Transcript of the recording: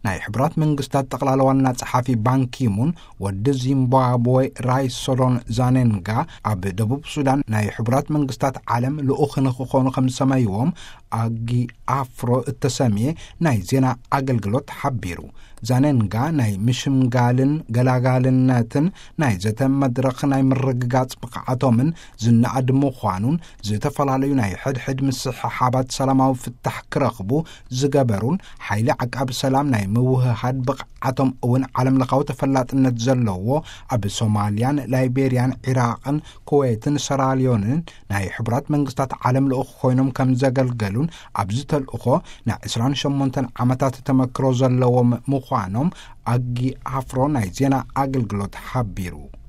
ናይ ሕቡራት መንግስታት ጠቕላላ ዋና ጸሓፊ ባንኪሙን ወዲ ዚምባብዌ ራይሶሎን ዛኔንጋ ኣብ ደቡብ ሱዳን ናይ ሕቡራት መንግስታት ዓለም ልኡኽ ንክኾኑ ከም ዝሰመይዎም ኣጊ ኣፍሮ እተሰምየ ናይ ዜና ኣገልግሎት ሓቢሩ። ዛኔንጋ ናይ ምሽምጋልን ገላጋልነትን ናይ ዘተ መድረኽ ናይ ምርግጋጽ ብቕዓቶምን ዝነኣድ ምዃኑን፣ ዝተፈላለዩ ናይ ሕድሕድ ምስሕሓባት ሰላማዊ ፍታሕ ክረኽቡ ዝገበሩን ሓይሊ ዓቃቢ ሰላም ናይ ምውህሃድ ብቕዓቶም እውን ዓለም ለኻዊ ተፈላጥነት ዘለዎ ኣብ ሶማልያን ላይቤርያን ዒራቕን ኩዌትን ሰራልዮንን ናይ ሕቡራት መንግስታት ዓለም ልኡኽ ኮይኖም ከም ዘገልገሉን ኣብዚ ተልእኾ ናይ ዕስራን ሸሞንተን ዓመታት ተመክሮ ዘለዎም ምዃኖም ኣጊ ኣፍሮ ናይ ዜና ኣገልግሎት ሓቢሩ።